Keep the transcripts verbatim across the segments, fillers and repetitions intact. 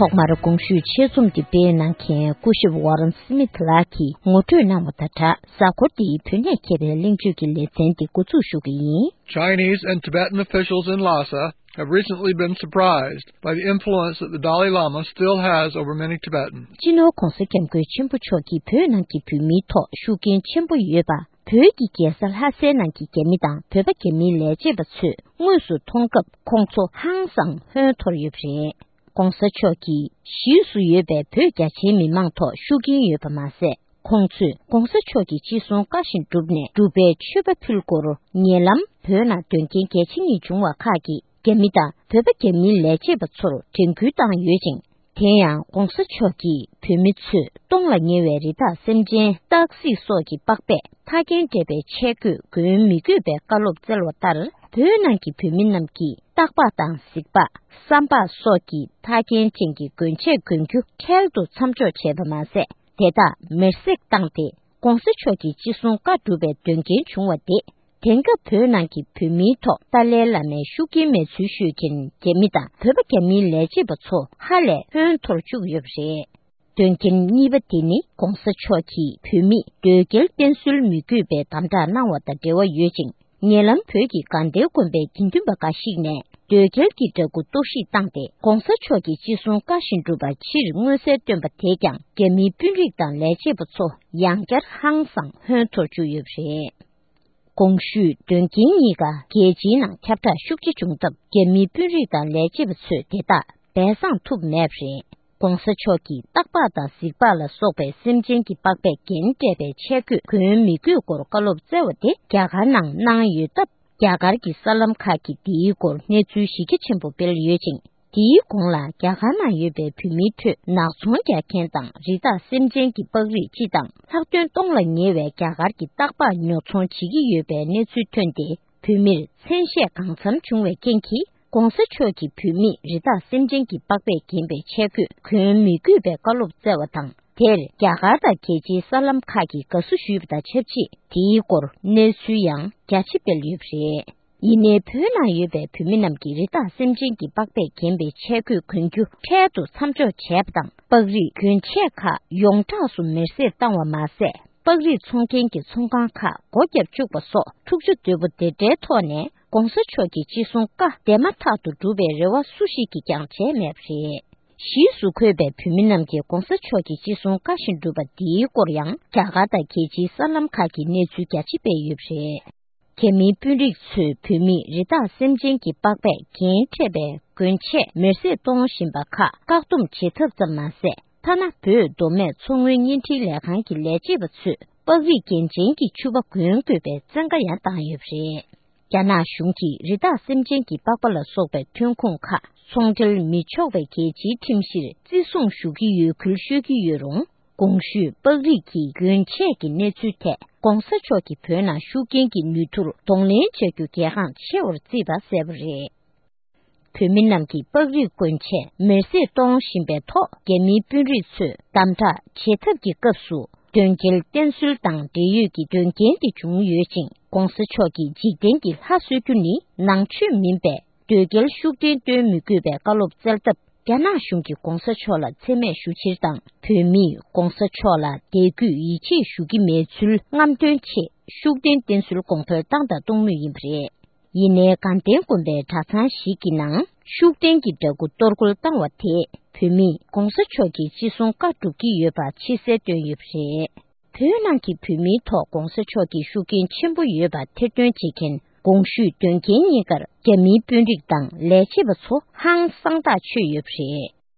ཐོག་མར་གོང་ཞུས་ཆེད་རྩོམ་འདི་སྤེལ་གནང་མཁན་སྐུ་ཞབས་Warren Smith་ལགས་ཀྱིས་ངོ་སྤྲོད་གནང་བ་དང་སྦྲགས། གཟའ་འཁོར་འདིའི་བོད་གནས་མཁས་པའི་གླེང་བརྗོད་ཀྱི་ལེ་ཚན་འདི་འགོ་འཛུགས་ཞུ་གི་ཡིན། Chinese and Tibetan officials in Lhasa have recently been surprised by the influence that the Dalai Lama still has over many Tibetans. སྤྱི་ནོར་༧གོང་ས་༧སྐྱབས་མགོན་ཆེན་པོ་མཆོག་གིས་བོད་ནང་གི་བོད་མིའི་ཐོག་ཤུགས་རྐྱེན་ཆེན་པོ་ཡོད་པ། བོད་ཀྱི་རྒྱལ་ས་ལྷ་སའི་ནང་གི་རྒྱ་མི་དང་བོད་པ་རྒྱ་མིའི་ལས་བྱེད་པ་ཚོས་དངོས་སུ་མཐོང་སྐབས་ཁོང་ཚོ་ཧང་སང་ཧོན་འཐོར་ཡོད་པ་རེད། ༸གོང་ས་མཆོག་གིས་གཞིས་སུ་ཡོད་པའི་བོད་རྒྱ་ཆེའི་མི་མང་ཐོག་ཤུགས་རྐྱེན་ཡོད་པ་མ་ཟད། ཁོང་ཚོས་༸གོང་ས་མཆོག་གི་ཅི་གསུང་བཀའ་བཞིན་བསྒྲུབས་ནས་སྒྲུབ་པའི་མཆོད་པ་ཕུལ་སྐོར། ཉེ་ལམ་བོད་ནང་དོན་རྐྱེན་གལ་ཆེ་གཉིས་བྱུང་བ་ཁག་གི་རྒྱ་མི་དང་བོད་པ་རྒྱ་མིའི་ལས་བྱེད་པ་ཚོར་དྲན་སྐུལ་བཏང་ཡོད་ཅིང་། དེ་ཡང་༸གོང་ས་མཆོག་གིས་བོད་མི་ཚོས་སྟོང་ལ་ཉེ་བའི་རི་དྭགས་སེམས་ཅན་སྟག་གཟིག་སོགས་ཀྱི་པགས་པས་མཐའ་རྒྱན་སྤྲས་པའི་ཆས་གོས་གོན་མི་དགོས་པའི་བཀའ་སློབ་སྩལ་བ་ལྟར། བོད་ནང་གི་བོད་མི་རྣམས་ཀྱིས་སྟག་ལྤགས་དང་གཟིག་ལྤགས། སྲམ་ལྤགས་སོགས་ཀྱི་མཐའ་རྒྱན་ཅན་གྱི་གོན་ཆས་གོན་རྒྱུ་འཕྲལ་དུ་མཚམས་འཇོག་བྱས་པ་མ་ཟད། དེ་དག་མེར་སྲེག་བཏང་སྟེ། ༸གོང་ས་མཆོག་གི་ཅི་གསུང་བཀའ་སྒྲུབ་པའི་དོན་རྐྱེན་བྱུང་བ་དེ། དེང་སྐབས་བོད་ནང་གི་བོད་མིའི་ཐོག་ཏཱ་ལའི་བླ་མའི་ཤུགས་རྐྱེན་མེད་ཚུལ་ཤོད་མཁན་རྒྱ་མི་དང་བོད་པ་རྒྱ་མིའི་ལས་བྱེད་པ་ཚོ་ཧ་ལས་ཧོན་འཐོར་བཅུག་ཡོད་པ་རེད། དོན་རྐྱེན་གཉིས་པ་དེ་ནི་༸གོང་ས་མཆོག་གིས་བོད་མིས་དོལ་རྒྱལ་བསྟེན་གསོལ་མི་དགོས་པའི་དམ་བསྒྲགས་གནང་བ་དང་འབྲེལ་བ་ཡོད་ཅིང་། ཉེ་ལམ་བོད་ཀྱི་དགའ་ལྡན་དགོན་པའི་དགེ་འདུན་པ་འགའ་ཞིག་ནས་དོལ་རྒྱལ་གྱི་འདྲ་སྐུ་གཏོར་བཤིག་བཏང་སྟེ། ༸གོང་ས་མཆོག་གི་ཅི་གསུང་བཀའ་བཞིན་སྒྲུབ་པ་ཕྱིར་མངོན་གསལ་བཏོན་པ་དེས་ཀྱང་རྒྱ་མིའི་དཔོན་རིགས་དང་ལས་བྱེད་པ་ཚོ་ཡང་བསྐྱར་ཧང་སང་ཧོན་འཐོར་བཅུག་ཡོད་པ་རེད། གོང་ཞུས་དོན་རྐྱེན་གཉིས་ཀ་རྒྱལ་སྤྱིའི་ནང་ཁྱབ་བསྒྲགས་ཤུགས་ཆེ་བྱུང་སྟབས། རྒྱ་མིའི་དཔོན་རིགས་དང་ལས་བྱེད་པ་ཚོས་དེ་དག་སྦས་གསང་ཐུབ་མེད་པ་རེད། ༸གོང་ས་མཆོག་གིས་སྟག་ལྤགས་དང་གཟིག་ལྤགས་ལ་སོགས་པའི་སེམས་ཅན་གྱི་པགས་པས་རྒྱན་སྤྲས་པའི་ཆས་གོས་གོན་མི་དགོས་སྐོར་བཀའ་སློབ་སྩལ་བ་དེ་རྒྱ་གར་ནང་གནང་ཡོད་སྟབས། རྒྱ་གར་གྱི་གསར་ལམ་ཁག་གིས་འདིའི་སྐོར་གནས་ཚུལ་གཞི་རྒྱ་ཆེན་པོ་སྤེལ་ཡོད་ཅིང་། དེའི་གོང་ལ་རྒྱ་གར་ནང་ཡོད་པའི་བོད་མིའི་ཁྲོད་ནག་ཚོང་རྒྱག་མཁན་དང་རི་དྭགས་སེམས་ཅན་གྱི་པགས་རིགས་སྤྱི་དང་ལྷག་དོན་སྟོང་ལ་ཉེ་བའི་རྒྱ་གར་གྱི་སྟག་ལྤགས་ཉོ་ཚོང་བྱེད་ཀྱི་ཡོད་པའི་གནས་ཚུལ་ཐོན་ཏེ། བོད་མིར་མཚན་ཤས་གང་འཚམ་བྱུང་བའི་རྐྱེན་གྱིས། ༸གོང་ས་མཆོག་གིས་བོད་མིས་རི་དྭགས་སེམས་ཅན་གྱི་པགས་པས་བརྒྱན་པའི་ཆས་གོས་གོན་མི་དགོས་པའི་བཀའ་སློབ་སྩལ་བ་དང་། དེར་རྒྱ་གར་དང་རྒྱལ་སྤྱིའི་གསར་ལམ་ཁག་གིས་དགའ་བསུ་ཞུས་པ་དང་ཆབས་ཅིག་དེའི་སྐོར་གནས་ཚུལ་ཡང་རྒྱ་ཆེ་སྤེལ་ཡོད་པ་རེད། ཡིན་ནའི་བོད་ནང་ཡོད་པའི་བོད་མི་རྣམས་ཀྱིས་རི་དྭགས་སེམས་ཅན་གྱི་པགས་པས་བརྒྱན་པའི་ཆས་གོས་གོན་རྒྱུ་འཕྲལ་དུ་མཚམས་འཇོག་བྱས་པ་དང་། པགས་རིགས་གོན་ཆས་ཁག་ཡོངས་གྲགས་སུ་མེར་སྲེག་བཏང་བ་མ་ཟད། པགས་རིགས་འཚོང་མཁན་གྱི་ཚོང་ཁང་ཁག་སྒོ་བརྒྱབ་བཅུག་པ་སོགས་འཁྲུག་ཆ་དོད་པོ་དེ་འདྲའི་ཐོག་ནས་༸གོང་ས་མཆོག་གི་ཅི་གསུང་བཀའ་འདས་མ་ཐག་ཏུ་སྒྲུབ་པའི་རེ་བ་སུ་ཞིག་གིས་ཀྱང་བྱས་མེད་པ་རེད། གཞིས་སུ་འཁོད་པའི་བོད་མི་རྣམས་ཀྱིས་༸གོང་ས་མཆོག་གི་ཅི་གསུང་བཀའ་བཞིན་བསྒྲུབས་པ་འདིའི་སྐོར་ཡང་རྒྱ་གར་དང་རྒྱལ་སྤྱིའི་གསར་ལམ་ཁག་གིས་གནས་ཚུལ་རྒྱ་ཆེ་སྤེལ་ཡོད་པ་རེད། རྒྱ་མིའི་དཔོན་རིགས་ཚོས་བོད་མིས་རི་དྭགས་སེམས་ཅན་གྱི་པགས་པས་རྒྱན་སྤྲས་པའི་གོན་ཆས་མེར་སྲེག་གཏོང་བཞིན་པ་ཁག་བཀག་སྡོམ་བྱེད་ཐབས་ཙམ་མ་ཟད། ཐ་ན་བོད་མདོ་སྨད་མཚོ་སྔོན་བརྙན་འཕྲིན་ལས་ཁང་གི་ལས་བྱེད་པ་ཚོས་པགས་རིགས་རྒྱན་ཅན་གྱི་ཕྱུ་པ་གོན་དགོས་པའི་བཙན་བཀའ་ཡང་བཏང་ཡོད་པ་རེད། རྒྱ་ནག་གཞུང་གིས་རི་དྭགས་སེམས་ཅན་གྱི་པགས་པ་ལ་སོགས་པའི་ཐོན་ཁུངས་ཁག་ཚོང་འབྲེལ་མི་ཆོག་པའི་རྒྱལ་སྤྱིའི་ཁྲིམས་གཞིར་བརྩི་སྲུང་ཞུ་གི་ཡོད་ཁུལ་ཤོད་ཀྱི་ཡོད་རུང་། གོང་ཞུས་པགས་རིགས་ཀྱི་གྱོན་ཆས་ཀྱི་གནས་ཚུལ་ཐད་༸གོང་ས་མཆོག་གིས་བོད་ནང་ཤུགས་རྐྱེན་གྱི་ནུས་མཐུར་གདོང་ལེན་བྱ་རྒྱུ་གལ་འགངས་ཆེ་བར་བརྩིས་པ་གསལ་པོ་རེད། བོད་མི་རྣམས་ཀྱིས་པགས་རིགས་གྱོན་ཆས་མེར་སྲེག་གཏོང་བཞིན་པའི་ཐོག་རྒྱ་མིའི་དཔོན་རིགས་ཚོས་དམ་དྲག་བྱེད་ཐབས་ཀྱི་སྐབས་སུ། དོལ་རྒྱལ་བསྟེན་གསོལ་དང་འབྲེལ་ཡོད་ཀྱི་དོན་རྐྱེན་དེ་བྱུང་ཡོད་ཅིང་། ༸གོང་ས་མཆོག་གིས་འཇིག་རྟེན་གྱི་ལྷ་གསོལ་རྒྱུ་ནི་ནང་ཆོས་མིན་པས། དོལ་རྒྱལ་ཤུགས་ལྡན་སྟོན་མི་དགོས་པའི་བཀའ་སློབ་སྩལ་སྟབས། རྒྱ་ནག་གཞུང་གིས་༸གོང་ས་མཆོག་ལ་མཚན་སྨད་ཞུ་ཕྱིར་དང་། བོད་མིས་༸གོང་ས་མཆོག་ལ་དད་གུས་ཡིད་ཆེས་ཞུ་གི་མེད་ཚུལ་རྔམ་སྟོན་ཆེད་ཤུགས་ལྡན་བསྟེན་གསོལ་གོང་འཕེལ་བཏང་དང་གཏོང་མུས་ཡིན་པ་རེད། ཡིན་ནའི་དགའ་ལྡན་དགོན་པའི་གྲྭ་ཚང་ཞིག་གི་ནང་ཤུགས་ལྡན་གྱི་འདྲ་སྐུ་གཏོར་རྒོལ་བཏང་བ་དེས་བོད་མིས་༸གོང་ས་མཆོག་གི་ཅི་གསུང་བཀའ་སྒྲུབ་ཀྱི་ཡོད་པ་ཕྱི་གསལ་བཏོན་ཡོད་པ་རེད། བོད་ནང་གི་བོད་མིའི་ཐོག་༸གོང་ས་མཆོག་གི་ཤུགས་རྐྱེན་ཆེན་པོ་ཡོད་པ་ཐེར་འདོན་བྱེད་མཁན་གོང་ཞུས་དོན་རྐྱེན་གཉིས་ཀར་རྒྱ་མིའི་དཔོན་རིགས་དང་ལས་བྱེད་པ་ཚོ་ཧང་སང་ཐག་ཆོད་ཡོད་པ་རེད།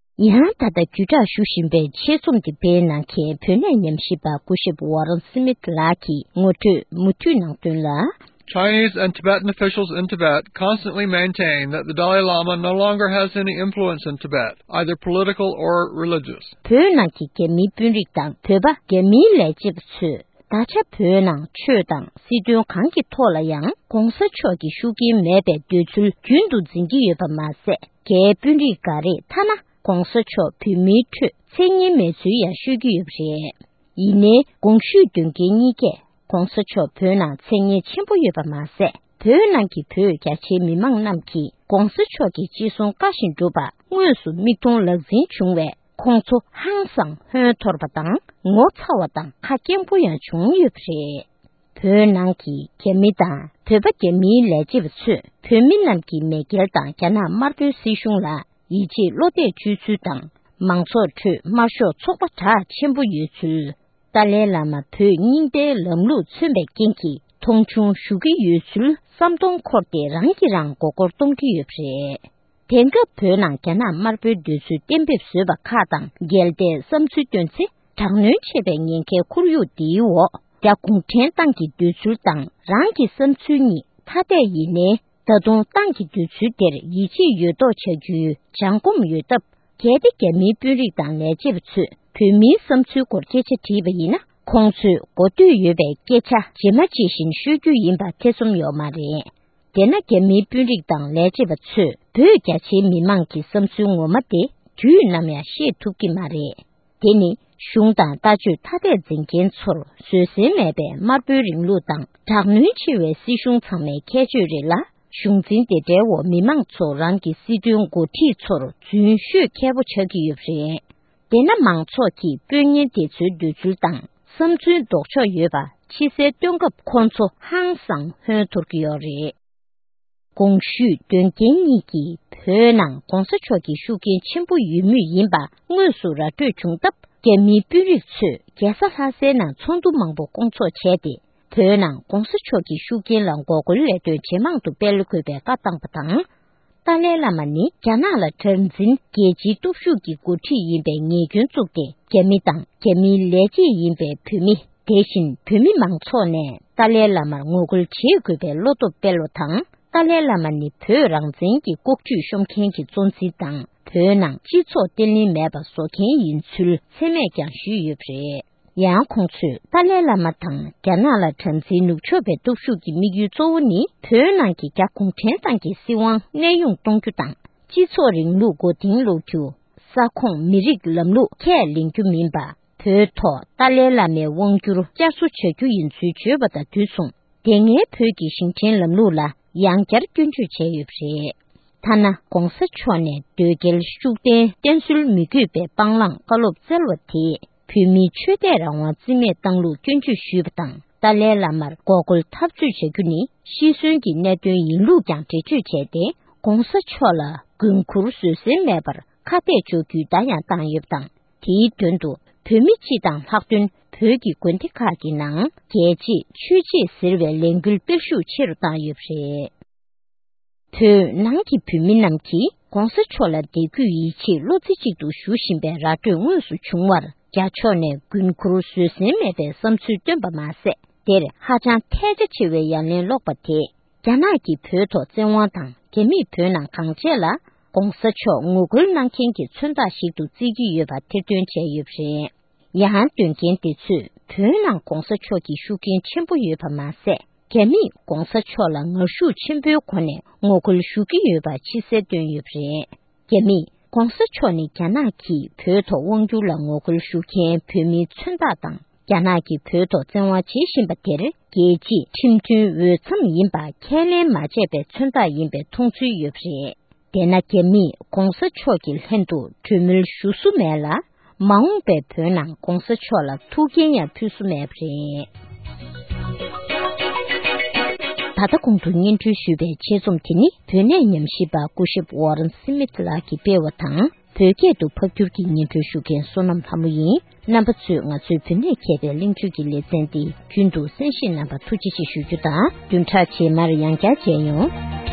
ཡང་ད་ལྟ་བརྒྱུད་བསྒྲགས་ཞུ་བཞིན་པའི་ཆེད་རྩོམ་འདི་སྤེལ་གནང་མཁན་བོད་གནས་ཉམས་ཞིབ་པ་སྐུ་ཞབས་Warren Smith་ལགས་ཀྱིས་ངོ་སྤྲོད་མུ་མཐུད་གནང་དོན་ལ། Chinese and Tibetan officials in Tibet constantly maintain that the Dalai Lama no longer has any influence in Tibet, either political or religious. བོད་ནང་གི་རྒྱ་མིའི་དཔོན་རིགས་དང་བོད་པ་རྒྱ་མིའི་ལས་བྱེད་པ་ཚོས་ད་ཆ་བོད་ནང་ཆོས་དང་སྲིད་དོན་གང་གི་ཐོག་ལ་ཡང་༸གོང་ས་མཆོག་གི་ཤུགས་རྐྱེན་མེད་པའི་འདོད་ཚུལ་རྒྱུན་དུ་འཛིན་གྱི་ཡོད་པ་མ་ཟད། རྒྱའི་དཔོན་རིགས་འགའ་རེས་ཐ་ན་༸གོང་ས་མཆོག་བོད་མིའི་ཁྲོད་མཚན་སྙན་མེད་ཚུལ་ཡང་ཤོད་ཀྱི་ཡོད་པ་རེད། ཡིན་ནའི་གོང་ཞུས་དོན་རྐྱེན་གཉིས་ཀས་༸གོང་ས་མཆོག་བོད་ནང་མཚན་སྙན་ཆེན་པོ་ཡོད་པ་མ་ཟད། བོད་ནང་གི་བོད་རྒྱ་ཆེའི་མི་མང་རྣམས་ཀྱིས་༸གོང་ས་མཆོག་གི་ཅི་གསུང་བཀའ་བཞིན་བསྒྲུབས་པ་ དངོས་སུ་མིག་མཐོང་ལག་ཟིན་བྱུང་བས། ཁོང་ཚོ་ཧང་སང་ཧོན་འཐོར་བ་དང་ངོ་ཚ་བ་དང་ཁ་སྐྱེངས་པོ་ཡང་བྱུང་ཡོད་པ་རེད། བོད་ནང་གི་རྒྱ་མི་དང་བོད་པ་རྒྱ་མིའི་ལས་བྱེད་པ་ཚོས་བོད་མི་རྣམས་ཀྱི་མེས་རྒྱལ་དང་རྒྱ་ནག་དམར་པོའི་སྲིད་གཞུང་ལ་ཡིད་ཆེས་བློ་གཏད་བཅོལ་ཚུལ་དང་། མང་ཚོགས་ཁྲོད་དམར་ཤོག་ཚོགས་པ་གྲགས་ཆེན་པོ་ཡོད་ཚུལ། ཏཱ་ལའི་བླ་མ་བོད་རྙིང་པའི་ལམ་ལུགས་མཚོན་པའི་རྐྱེན་གྱིས་མཐོང་ཆུང་ཞུ་གི་ཡོད་ཚུལ་བསམ་སྟོང་འཁོར་ཏེ་རང་གིས་རང་མགོ་སྐོར་གཏོང་གི་ཡོད་པ་རེད། དེང་སྐབས་བོད་ནང་རྒྱ་ནག་དམར་པོའི་འདོད་ཚུལ་གཏན་འབེབས་བཟོས་པ་ཁག་དང་འགལ་ཏེ་བསམ་ཚུལ་བཏོན་ཚེ། དྲག་གནོན་ཆེ་བའི་ཉེན་ཁའི་ཁོར་ཡུག་འདིའི་འོག་རྒྱ་གུང་ཁྲན་ཏང་གི་འདོད་ཚུལ་དང་རང་གི་བསམ་ཚུལ་གཉིས་ཐ་དད་ཡིན་ནའི། ད་དུང་ཏང་གི་འདོད་ཚུལ་དེར་ཡིད་ཆེས་ཡོད་མདོག་བྱ་རྒྱུའི་བྱང་གོམས་ཡོད་སྟབས། གལ་ཏེ་རྒྱ་མིའི་དཔོན་རིགས་དང་ལས་བྱེད་པ་ཚོས་བོད་མིའི་བསམ་ཚུལ་སྐོར་སྐད་ཆ་དྲིས་པ་ཡིན་ན། ཁོང་ཚོས་གོ་ཐོས་ཡོད་པའི་སྐད་ཆ་ཇི་མ་ཇི་བཞིན་ཤོད་རྒྱུ་ཡིན་པ་ཐེ་ཚོམ་ཡོད་མ་རེད། དེས་ན་རྒྱ་མིའི་དཔོན་རིགས་དང་ལས་བྱེད་པ་ཚོས་བོད་རྒྱ་ཆེའི་མི་མང་གི་བསམ་ཚུལ་ངོ་མ་དེ་དུས་ནམ་ཡང་ཤེས་ཐུབ་ཀྱི་མ་རེད། དེ་ནི་གཞུང་དང་ལྟ་སྤྱོད་ཐ་དད་འཛིན་མཁན་ཚོར་བཟོད་བསྲན་མེད་པའི་དམར་པོའི་རིང་ལུགས་དང་དྲག་གནོན་ཆེ་བའི་སྲིད་གཞུང་ཚང་མའི་ཁྱད་ཆོས་རེད་ལ། གཞུང་འཛིན་དེ་འདྲའི་འོག་མི་མང་ཚོ་རང་གི་སྲིད་དོན་འགོ་ཁྲིད་ཚོར་རྫུན་ཤོད་མཁས་པོ་ཆགས་ཀྱི་ཡོད་པ་རེད། དེས་ན་མང་ཚོགས་ཀྱིས་དཔོན་ངན་དེ་ཚོའི་འདོད་ཚུལ་དང་བསམ་ཚུལ་ལྡོག་ཕྱོགས་ཡོད་པ་ཕྱི་གསལ་སྟོན་སྐབས་ཁོང་ཚོ་ཧང་སང་ཧོན་འཐོར་གྱི་ཡོད་རེད། གོང་ཞུས་དོན་རྐྱེན་གཉིས་ཀྱིས་བོད་ནང་གོང་ས་མཆོག་གི་ཤུགས་རྐྱེན་ཆེན་པོ་ཡོད་མུས་ཡིན་པ་དངོས་སུ་ར་སྤྲོད་བྱུང་སྟབས། རྒྱ་མིའི་དཔོན་རིགས་ཚོས་རྒྱལ་ས་ལྷ་སའི་ནང་ཚོགས་འདུ་མང་པོ་སྐོང་ཚོགས་བྱས་ཏེ། བོད་ནང་གོང་ས་མཆོག་གི་ཤུགས་རྐྱེན་ལ་འགོག་རྒོལ་ལས་དོན་ཇེ་མང་དུ་སྤེལ་དགོས་པའི་བཀའ་བཏང་པ་དང་། ཏཱ་ལའི་བླ་མ་ནི་རྒྱ་ནག་ལ་དགྲར་འཛིན་རྒྱལ་སྤྱིའི་སྟོབས་ཤུགས་ཀྱི་འགོ་ཁྲིད་ཡིན་པའི་ཉེས་སྐྱོན་བཙུགས་ཏེ། རྒྱ་མི་དང་རྒྱ་མིའི་ལས་བྱེད་ཡིན་པའི་བོད་མི། དེ་བཞིན་བོད་མི་མང་ཚོགས་ནས་ཏཱ་ལའི་བླ་མར་ངོ་རྒོལ་བྱེད་དགོས་པའི་བློ་སྟོབས་སྤེལ་བ་དང་། ཏཱ་ལའི་བླ་མ་ནི་བོད་རང་བཙན་གྱི་ལྐོག་ཇུས་ཤོམ་མཁན་གྱི་གཙོ་འཛིན་དང་། བོད་ནང་སྤྱི་ཚོགས་བརྟན་ལྷིང་མེད་པ་བཟོ་མཁན་ཡིན་ཚུལ་མཚན་སྨད་ཀྱང་ཞུས་ཡོད་པ་རེད། ཡང་ཁོང་ཚོས་ཏཱ་ལའི་བླ་མ་དང་རྒྱ་ནག་ལ་དགྲར་འཛིན་ནུབ་ཕྱོགས་པའི་སྟོབས་ཤུགས་ཀྱི་དམིགས་ཡུལ་གཙོ་བོ་ནི། བོད་ནང་གི་རྒྱ་གུང་ཁྲན་ཏང་གི་སྲིད་དབང་གནས་དབྱུང་གཏོང་རྒྱུ་དང་། སྤྱི་ཚོགས་རིང་ལུགས་མགོ་རྟིང་སློག་རྒྱུ། ས་ཁོངས་མི་རིགས་ལམ་ལུགས་ཁས་ལེན་རྒྱུ་མིན་པ། བོད་ཐོག་ཏཱ་ལའི་བླ་མའི་དབང་བསྒྱུར་བསྐྱར་གསོ་བྱ་རྒྱུ་ཡིན་ཚུལ་བརྗོད་པ་དང་དུས་མཚུངས། དེ་སྔའི་བོད་ཀྱི་ཞིང་བྲན་ལམ་ལུགས་ལ་ཡང་བསྐྱར་སྐྱོན་བརྗོད་བྱས་ཡོད་པ་རེད། ཐ་ན་༧གོང་ས་མཆོག་ནས་དོལ་རྒྱལ་ཤུགས་ལྡན་བསྟེན་གསོལ་མི་དགོས་པའི་སྤང་བླང་བཀའ་སློབ་སྩལ་བ་དེས། བོད་མིའི་ཆོས་དད་རང་དབང་རྩིས་མེད་བཏང་ལུགས་སྐྱོན་བརྗོད་ཞུས་པ་དང་། ཏཱ་ལའི་བླ་མར་འགོག་རྒོལ་འཐབ་རྩོད་བྱ་རྒྱུ་ནི་ཤི་གསོན་གྱི་གནད་དོན་ཡིན་ལུགས་ཀྱང་འགྲེལ་བརྗོད་བྱས་ཏེ། ༸གོང་ས་མཆོག་ལ་མགོན་ཁུར་བཟོད་བསྲན་མེད་པར་ཁ་གཏད་གཅོག་རྒྱུའི་བརྡ་ཡང་བཏང་ཡོད་པ་དང་། དེའི་དོན་དུ་བོད་མི་སྤྱི་དང་ལྷག་དོན་བོད་ཀྱི་དགོན་སྡེ་ཁག་གི་ནང་རྒྱལ་གཅེས་ཆོས་གཅེས་ཟེར་བའི་ལས་འགུལ་སྤེལ་ཤུགས་ཆེ་རུ་བཏང་ཡོད་པ་རེད། བོད་ནང་གི་བོད་མི་རྣམས་ཀྱིས་༸གོང་ས་མཆོག་ལ་དད་གུས་ཡིད་ཆེས་བློ་རྩེ་གཅིག་ཏུ་ཞུ་བཞིན་པའི་ར་སྤྲོད་དངོས་སུ་བྱུང་བར། རྒྱ་ཕྱོགས་ནས་མགོན་ཁུར་བཟོད་བསྲན་མེད་པའི་བསམ་ཚུལ་བཏོན་པ་མ་ཟད། དེར་ཧ་ཅང་ཐལ་ཆ་ཆེ་བའི་ཡ་ལན་སློག་པ་དེས། རྒྱ་ནག་གིས་བོད་ཐོག་བཙན་དབང་དང་། རྒྱ་མིས་བོད་ནང་གང་བྱས་ལ་༸གོང་ས་མཆོག་ངོ་རྒོལ་གནང་མཁན་གྱི་མཚོན་རྟགས་ཤིག་ཏུ་བརྩི་གི་ཡོད་པ་ཐེར་འདོན་བྱས་ཡོད་པ་རེད། ཡང་དོན་རྐྱེན་དེ་ཚོས་བོད་ནང་༸གོང་ས་མཆོག་གི་ཤུགས་རྐྱེན་ཆེན་པོ་ཡོད་པ་མ་ཟད། རྒྱ་མིས་༸གོང་ས་མཆོག་ལ་ངར་ཤུགས་ཆེན་པོའི་སྒོ་ནས་ངོ་རྒོལ་ཞུ་གི་ཡོད་པ་ཕྱི་གསལ་བཏོན་ཡོད་པ་རེད། རྒྱ་མིས་༸གོང་ས་མཆོག་ནི་རྒྱ་ནག་གིས་བོད་ཐོག་དབང་བསྒྱུར་ལ་ངོ་རྒོལ་ཞུ་མཁན་བོད་མིའི་མཚོན་རྟགས་དང་། རྒྱ་ནག་གིས་བོད་ཐོག་བཙན་དབང་བྱེད་བཞིན་པ་དེར་རྒྱལ་སྤྱིའི་ཁྲིམས་མཐུན་འོས་འཚམ་ཡིན་པ་ཁས་ལེན་མ་བྱས་པའི་མཚོན་རྟགས་ཡིན་པའི་མཐོང་ཚུལ་ཡོད་པ་རེད། དེས་ན་རྒྱ་མིས་༸གོང་ས་མཆོག་གི་ལྷན་དུ་གྲོས་མོལ་ཞུ་སྲོལ་མེད་ལ། མ་འོངས་པའི་བོད་ནང་༸གོང་ས་མཆོག་ལ་ཐུགས་འགན་ཡང་ཕུལ་སྲོལ་མེད་པ་རེད། ད་ལྟ་གོང་དུ་སྙན་སྒྲོན་ཞུས་པའི་ཆེད་རྩོམ་དེ་ནི་བོད་གནས་ཉམས་ཞིབ་པ་སྐུ་ཞབས་ཝོ་རན་སི་མིད་ལགས་ཀྱིས་སྤེལ་བ་དང་། བོད་སྐད་དུ་ཕབ་བསྒྱུར་གྱིས་སྙན་སྒྲོན་ཞུ་མཁན་བསོད་ནམས་ལྷ་མོ་ཡིན། རྣམ་པ་ཚོས་ང་ཚོའི་བོད་གནས་མཁས་པའི་གླེང་བརྗོད་ཀྱི་ལེ་ཚན་འདི་རྒྱུན་དུ་གསན་བཞེས་གནང་བར་ཐུགས་རྗེ་ཆེ་ཞུ་རྒྱུ་དང་། བདུན་ཕྲག་རྗེས་མར་ཡང་བསྐྱར་མཇལ་ཡོང་།